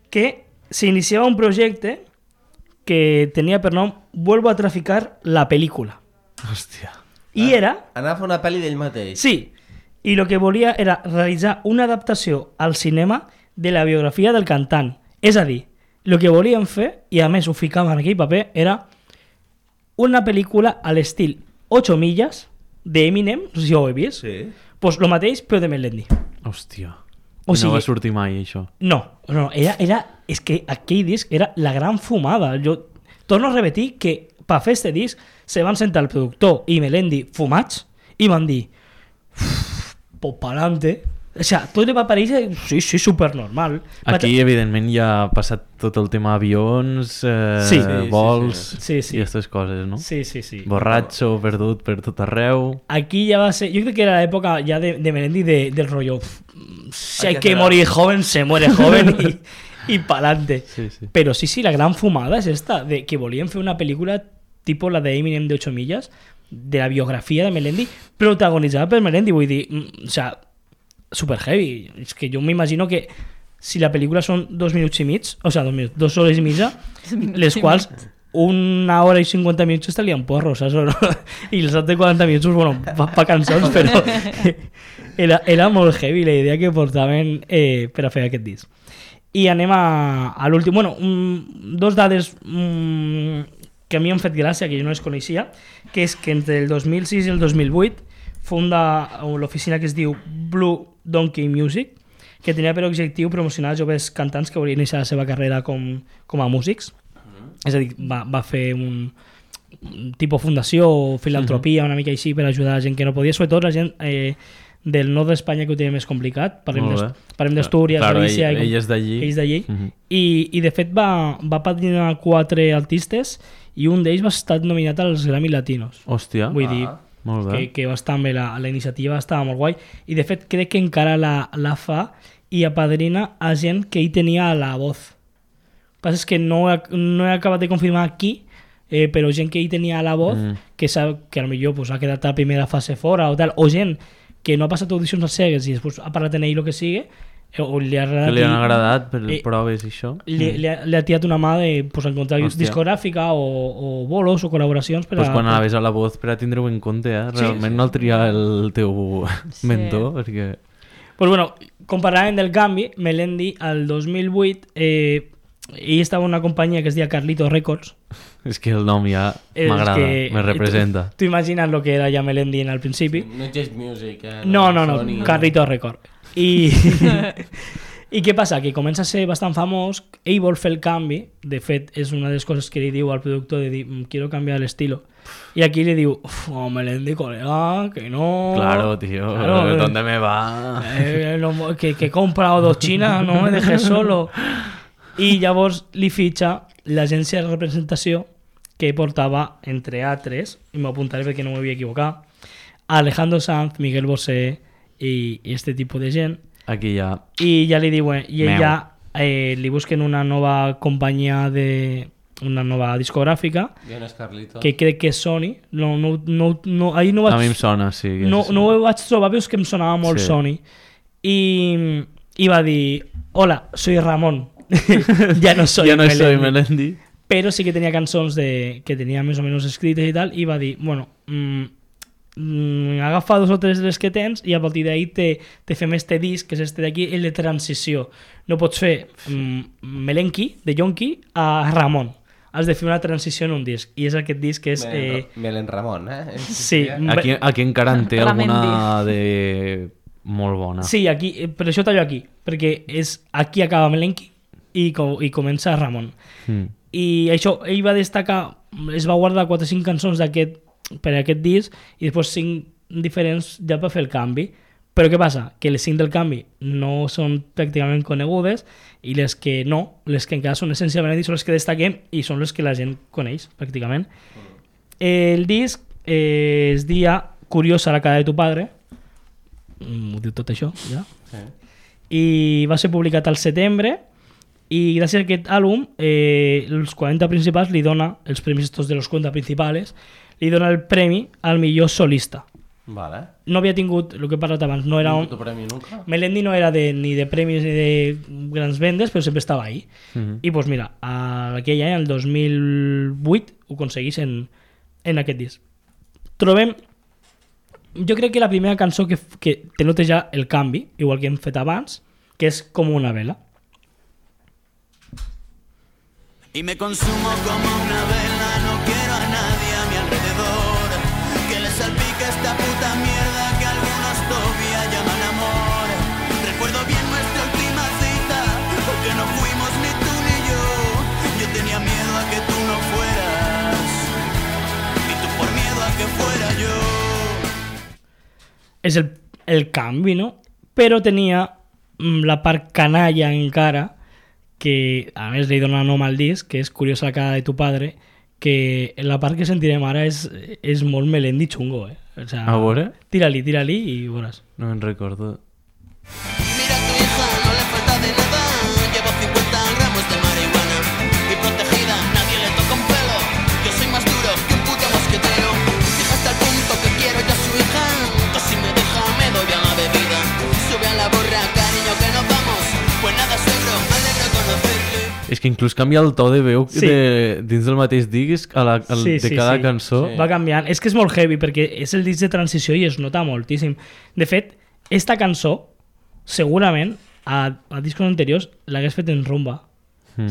Speaker 3: que s'iniciava un projecte que tenia per nom Vuelvo a traficar la película.
Speaker 5: Hòstia.
Speaker 3: I era...
Speaker 2: Anar a fer una pel·li d'ell mateix.
Speaker 3: Sí, i el que volia era realitzar una adaptació al cinema de la biografia del cantant. És a dir, el que volien fer, i a més ho ficaven en aquell paper, era una pel·lícula a l'estil 8 milles d'Eminem, no sé si ho heu vist,
Speaker 2: Sí.
Speaker 3: pues lo mateix però de Melendi.
Speaker 5: Hòstia.
Speaker 3: O
Speaker 5: No
Speaker 3: sigui-
Speaker 5: va sortir mai, això.
Speaker 3: No, és que aquell disc era la gran fumada. Jo torno a repetir que per fer este disc se van sentar el productor i Melendi fumats i van dir pues pa'lante. O sea, tot li va aparèixer, sí, super normal.
Speaker 5: Aquí, evidentment, ja ha passat tot el tema avions,
Speaker 3: Sí.
Speaker 5: vols
Speaker 3: Sí, sí.
Speaker 5: i aquestes coses, no?
Speaker 3: Sí.
Speaker 5: Borratxo, perdut per tot arreu.
Speaker 3: Aquí ja va ser... Jo crec que era l'època ja de Melendi del rollo si hay
Speaker 2: Hay que
Speaker 3: que
Speaker 2: hacer
Speaker 3: morir joven, se muere joven y pa'lante.
Speaker 5: Sí, sí.
Speaker 3: Pero sí, la gran fumada es esta, de que volían hacer una película tipo la de Eminem de 8 millas, de la biografía de Melendi, protagonizada por Melendi, vull dir, o sea, super heavy. Es que yo me imagino que si la película son 2 minuts i mig, o sea, 2 minuts, 2 hores i mitja, les quals 1 hora i 50 minuts estarien porros, saps? No? I els altres 40 minuts, bueno, pa cançons, però era molt heavy la idea que portaven per a fer aquest disc. I anem a l'últim. Bueno, 2 dades que a mi m'han fet gràcia, que jo no les coneixia, que és que entre el 2006 i el 2008 funda l'oficina que es diu Blue Donkey Music, que tenia per objectiu promocionar joves cantants que volien iniciar la seva carrera com a músics. És a dir, va fer un tipus fundació o filantropia, una mica així, per ajudar a gent que no podia, sobretot la gent del nord d'Espanya, que ho tenia més complicat. Parlem d'Astúries, Galícia...
Speaker 5: Ell és d'allí.
Speaker 3: Ells d'allí. I de fet va padrinar 4 artistes i un d'ells va estar nominat als Grammy Latinos.
Speaker 5: Hòstia.
Speaker 3: Vull dir
Speaker 5: molt bé.
Speaker 3: que va estar bé, la iniciativa estava molt guai. I de fet crec que encara la fa i apadrina a gent que hi tenia a la voz. El que passa és que no he acabat de confirmar qui, però gent que hi tenia a la voz, que potser pues, ha quedat a la primera fase fora o tal, o gent que no ha passat audicions als cegues i després ha parlat en ell el que sigui, o li ha agradat,
Speaker 5: que li han agradat per proves i això.
Speaker 3: Li ha tirat una mà de pues, encontrar discogràfica o bolos o col·laboracions
Speaker 5: pues quan anaves a la voz per a tindre-ho en compte, realment no el triar el teu mentor, perquè...
Speaker 3: Pues bueno, com parlàvem del canvi, Melendi al 2008 ell estava en una companyia que es deia Carlito Records.
Speaker 5: És que el nom ja m'agrada, me representa.
Speaker 3: Tu imagines el que era ja Melendi al principi.
Speaker 2: No Just Music.
Speaker 3: No, Carlito Records. I què passa? Que comença a ser bastant famós, ell vol fer el canvi, de fet és una de les coses que li diu al productor de dir, quiero cambiar el estilo. Y aquí le digo, Melendi, colega, que no...
Speaker 5: Claro, tío, claro, ¿dónde me va?
Speaker 3: Que he comprado 2 chinas, no me dejes solo. I llavors li fitxa l'agència de representació que portava, entre altres, i m'apuntaré perquè no m'havia equivocat, Alejandro Sanz, Miguel Bosé i este tipus de gent.
Speaker 5: Aquí ja...
Speaker 3: I ja li diuen, i ella li busquen una nova companyia una nova discogràfica que crec que és Sony. Ahí no vaig...
Speaker 5: A mi em sona, sí.
Speaker 3: No ho vaig trobar, veus que em sonava molt Sony. I va dir, hola, soy Ramon. Ya no soy
Speaker 5: Melendi.
Speaker 3: Però sí que tenia cançons que tenia més o menys escrites i tal, i va dir, bueno, agafa 2 o 3 de les que tens i a partir d'ahí te fem este disc, que és este d'aquí, el de transició. No pots fer Melenki, de Yonki, a Ramon. Has de fer una transició en un disc, i és aquest disc que és...
Speaker 2: Melen Ramon,
Speaker 3: Sí.
Speaker 5: Aquí encara en té alguna de... molt bona.
Speaker 3: Sí, aquí, per això tallo aquí, perquè aquí acaba Melenki i comença Ramon. I això, ell va destacar, es va guardar 4 o 5 cançons per a aquest disc i després 5 diferents ja per fer el canvi. Però què passa? Que les 5 del canvi no són pràcticament conegudes i les que encara són essencialment són les que destaquem i són les que la gent coneix, pràcticament. El disc es dia Curiosa la cara de tu padre, ho diu tot això, ja? Sí. I va ser publicat al setembre i gràcies a aquest àlbum els 40 principals li dona els premis estos de los 40 principals, li dona el premi al millor solista.
Speaker 2: Vale.
Speaker 3: No havia tingut, el que he parlat abans, no era un... Melendi no era ni de premis ni de grans vendes, però sempre estava ahí. I doncs mira, aquell any, el 2008, ho aconseguís en aquest disc. Trobem, jo crec que la primera cançó que te nota ja el canvi, igual que hem fet abans, que és Com una vela.
Speaker 1: Y me consumo como una vela, no quiero a nadie a mi alrededor, que le salpique esta puta mierda que algunos todavía llaman amor. Recuerdo bien nuestra última cita, porque no fuimos ni tú ni yo. Yo tenía miedo a que tú no fueras, y tú por miedo a que fuera yo.
Speaker 3: És el canvi, no? Però tenia la part canalla encara, que a més li dona nom al disc, que és Curiosa la cara de tu padre, que la part que sentirem ara és molt Melendi xungo, O sea,
Speaker 5: a veure?
Speaker 3: Tira-li i veuràs.
Speaker 5: No me'n recordo.
Speaker 1: Mira a tu hija, no le falta de nada, llevo 50 gramos de marihuana y protegida, nadie le toca un pelo, yo soy más duro que un puto mosquetero, fija hasta el punto que quiero yo a su hija, que si me deja me doy a la bebida, sube a la borra, cariño que nos vamos, pues nada suegro, me alegro conocerle.
Speaker 5: És que inclús canvia el to de veu dins del mateix disc de cada cançó.
Speaker 3: Sí. Va canviant. És que és molt heavy perquè és el disc de transició i es nota moltíssim. De fet, esta cançó segurament a discos anteriors l'hagués fet en rumba.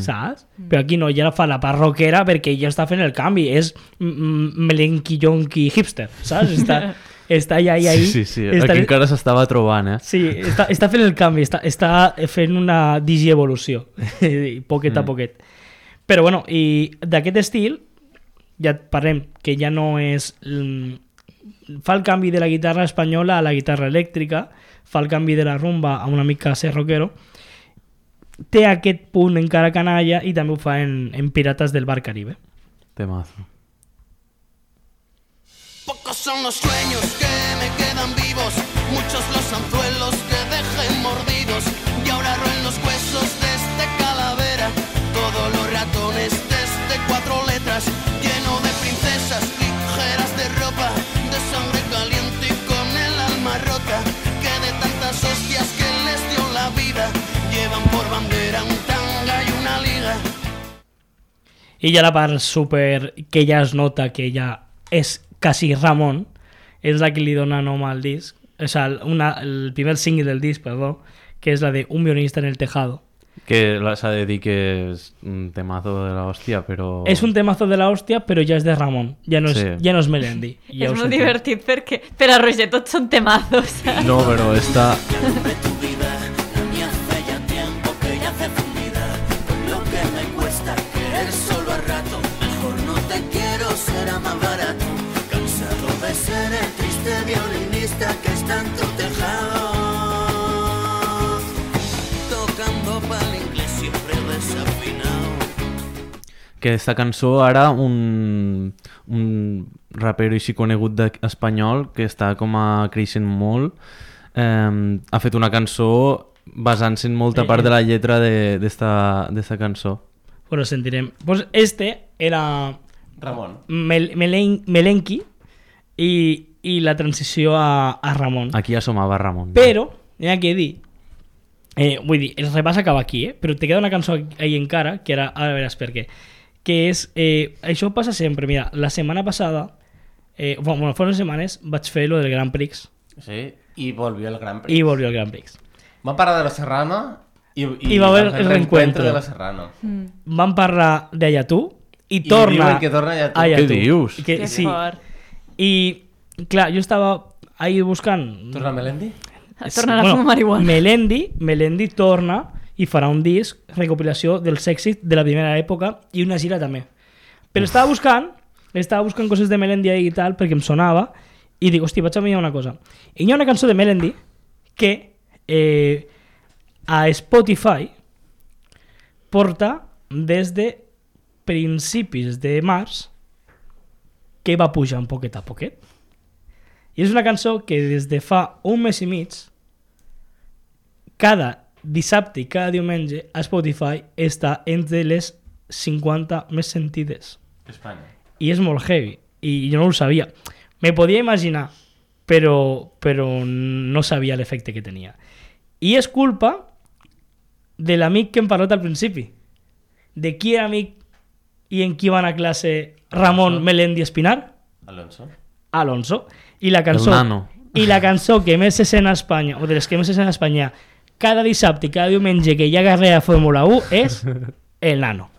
Speaker 3: saps? Però aquí no, ja fa la part rockera perquè ja està fent el canvi, és melenqui-yonqui hipster, saps? Està allà ahí.
Speaker 5: Sí. Aquí encara s'estava trobant,
Speaker 3: Sí, està fent el canvi, està fent una digievolució, poquet a poquet. Però bueno, i d'aquest estil, ja parlem que ja no és... Fa el canvi de la guitarra espanyola a la guitarra elèctrica, fa el canvi de la rumba a una mica ser rockero, té aquest punt encara canalla i també ho fa en Pirates del Bar Caribe.
Speaker 5: Temazo.
Speaker 1: Pocos son los sueños que me quedan vivos, muchos los anzuelos que dejé mordidos, y ahora roen los huesos de calavera, todos los ratones de 4 letras, lleno de princesas ligeras de ropa, de sangre caliente y con el alma rota, que de tantas hostias que les dio la vida, llevan por bandera un tanga y una liga.
Speaker 3: I ja la part super que ja es nota que ja és quasi Ramon, és la que li dona nom al disc, o sea, el primer single del disc, perdó, que és la de Un violinista en el tejado.
Speaker 5: Que s'ha de dir que és un temazo de la hòstia, però...
Speaker 3: És un temazo de la hòstia, però ja és de Ramon, ja no és Melendi. Ja
Speaker 4: és molt divertit perquè per a Roger tots són temazos.
Speaker 5: No, però està...
Speaker 1: Será más barato, cansado de ser el triste violinista que está en tu tejado, tocando pa'l inglés siempre desafinado.
Speaker 5: Que esta cançó ara un rapero així conegut espanyol que està com a creixent molt, ha fet una cançó basant-se en molta part de la lletra d'esta cançó.
Speaker 3: Pues lo sentirem. Pues este era...
Speaker 2: Ramon.
Speaker 3: Melenqui i la transició a Ramon.
Speaker 5: Aquí ja somava Ramon.
Speaker 3: Però, hi ha que dir, vull dir, el repàs acaba aquí, però te queda una cançó ahí encara, que ara veràs per què, que és, això passa sempre, mira, la setmana passada, bueno, fa unes setmanes vaig fer lo del Grand Prix.
Speaker 2: Sí, i volvió el Grand Prix.
Speaker 3: Vam
Speaker 2: parlar de la Serrano i
Speaker 3: va haver el reencuentro
Speaker 2: de la Serrano.
Speaker 3: Vam parlar d'Allà tu, i
Speaker 2: torna que torna Allà tu.
Speaker 5: Què dius?
Speaker 3: Que fort. I, clar, jo estava ahí buscant...
Speaker 2: Torna Melendi?
Speaker 4: Torna a fumar marihuana.
Speaker 3: Melendi torna i farà un disc, recopilació dels èxits de la primera època i una gira també. Però estava buscant coses de Melendi i tal perquè em sonava i dic, hòstia, vaig a mirar una cosa. I hi ha una cançó de Melendi que a Spotify porta des de principis de març que va pujant poquet a poquet. I és una cançó que des de fa un mes i mig, cada dissabte i cada diumenge a Spotify està entre les 50 més sentides.
Speaker 2: Espanya.
Speaker 3: I és molt heavy. I jo no ho sabia. Me podia imaginar, però no sabia l'efecte que tenia. I és culpa de l'amic que hem parlat al principi. De qui era amic i en qui va anar a classe Ramon, Melendi Espinar? Alonso. I la cançó,
Speaker 5: el nano.
Speaker 3: I la cançó que més se sent a Espanya, o de les que més se sent a Espanya, cada dissabte i cada diumenge que hi ha carrera de Fórmula 1 és El Nano.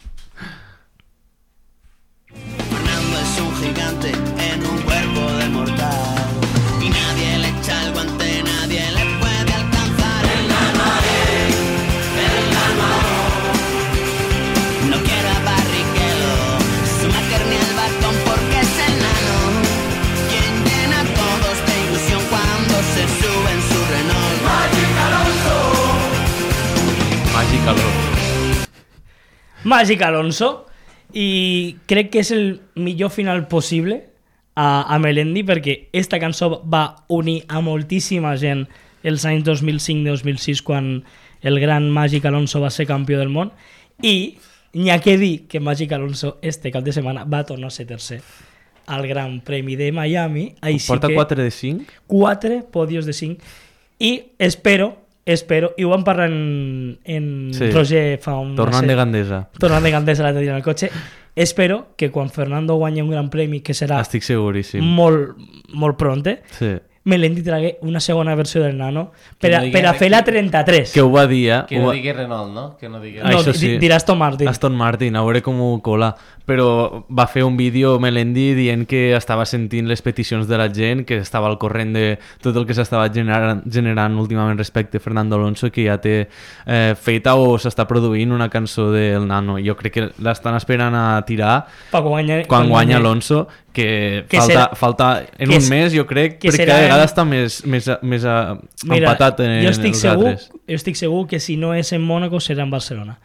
Speaker 1: Fernando es un gigante en un cuerpo de mortal y nadie le echa el guante, nadie le puede alcanzar. El nano, no quiere a Barrichello, su máquina ni el bastón porque es el nano quien llena a todos de ilusión cuando se sube en su Renault.
Speaker 3: Màgic Alonso. I crec que és el millor final possible a Melendi perquè esta cançó va unir a moltíssima gent els anys 2005-2006 quan el gran Màgic Alonso va ser campió del món i n'hi ha que dir que Màgic Alonso este cap de setmana va tornar a ser tercer al Gran Premi de Miami.
Speaker 5: Porta 4 de 5?
Speaker 3: 4 podios de 5 i espero, i ho vam parlar en
Speaker 5: sí.
Speaker 3: Roger fa un...
Speaker 5: Tornant de Gandesa
Speaker 3: l'altre dia en el cotxe. Espero que quan Fernando guanyi un gran premi, que serà
Speaker 5: estic seguríssim
Speaker 3: molt, molt pronte,
Speaker 5: sí.
Speaker 3: Melendi tragué una segona versió del Nano per
Speaker 2: Que
Speaker 3: a,
Speaker 2: no digui
Speaker 3: per a
Speaker 2: res,
Speaker 3: fer la
Speaker 2: que-
Speaker 3: 33.
Speaker 5: Que ho va dir,
Speaker 2: Que no digui Renault, no? Que no digui...
Speaker 5: Ah,
Speaker 3: No,
Speaker 5: això sí.
Speaker 3: dirà Aston Martin.
Speaker 5: Aston Martin, a veure com ho cola. Però va fer un vídeo Melendi dient que estava sentint les peticions de la gent, que estava al corrent de tot el que s'estava generant últimament respecte a Fernando Alonso, que ja té feta o s'està produint una cançó del Nano. Jo crec que l'estan esperant a tirar quan guanya Alonso, que falta en un mes, jo crec,
Speaker 3: que
Speaker 5: perquè
Speaker 3: serà
Speaker 5: cada vegada està més empatat en
Speaker 3: jo estic
Speaker 5: els
Speaker 3: segur,
Speaker 5: altres.
Speaker 3: jo estic segur que si no és en Mónaco serà en Barcelona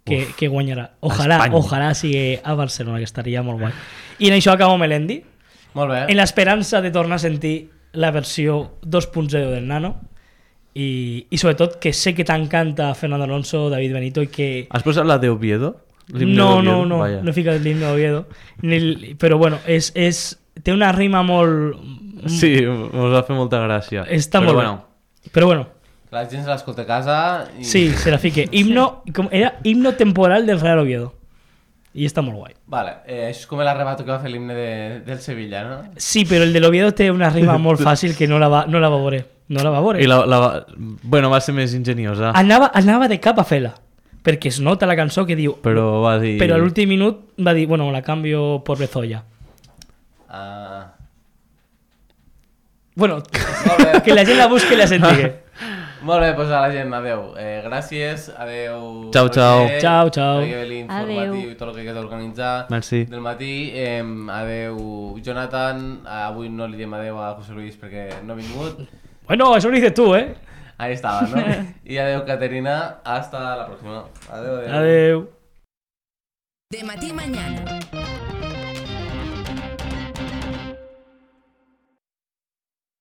Speaker 3: que guanyarà.
Speaker 5: Espanya.
Speaker 3: Ojalà sigui a Barcelona, que estaria molt guai. I en això acabo Melendi,
Speaker 2: Molt bé.
Speaker 3: en l'esperança de tornar a sentir la versió 2.0 del Nano i sobretot que sé que t'encanta Fernando Alonso, David Benito i que...
Speaker 5: Has posat la de Oviedo? L'himne
Speaker 3: No,
Speaker 5: d'Oviedo?
Speaker 3: no
Speaker 5: Vaja.
Speaker 3: he ficat l'himne d'Oviedo. Però bueno, té una rima molt...
Speaker 5: Sí, us va fer molta gràcia.
Speaker 3: Està
Speaker 5: Però
Speaker 3: molt
Speaker 5: bueno,
Speaker 3: bé. Però bueno,
Speaker 2: La gent se l'escolta a casa i...
Speaker 3: sí, se la fique. Era himno temporal del Real Oviedo. I està molt guai.
Speaker 2: Vale, això és com l'arrebato que va fer l'himne del Sevilla, no?
Speaker 3: Sí, però el de l'Oviedo té una rima molt fàcil que no la va veure. No la va veure.
Speaker 5: i bueno, va ser més enginyosa,
Speaker 3: Anava de cap a fer-la. Perquè es nota la cançó que diu...
Speaker 5: però va dir...
Speaker 3: Però a l'últim minut va dir, bueno, la canvio por Bezoya.
Speaker 2: Ah...
Speaker 3: Bueno,
Speaker 2: Molt bé.
Speaker 3: que la gent la busqui i la sentigui.
Speaker 2: Molt bé, doncs a la gent, adeu. Gràcies, adeu.
Speaker 5: Ciao, ciao.
Speaker 2: Roger,
Speaker 3: Ciao, ciao.
Speaker 2: adeu l'informatiu i tot el que queda organitzar
Speaker 5: Merci.
Speaker 2: del matí. Adeu, Jonathan. Avui no li diem adeu a José Luis perquè no ha vingut.
Speaker 3: Bueno, eso lo dices tú, ¿eh?
Speaker 2: Ahí estaba, ¿no? Y adeu, Caterina. Hasta la próxima. Adeu, adeu.
Speaker 3: Adeu.
Speaker 6: De Matí Mañana.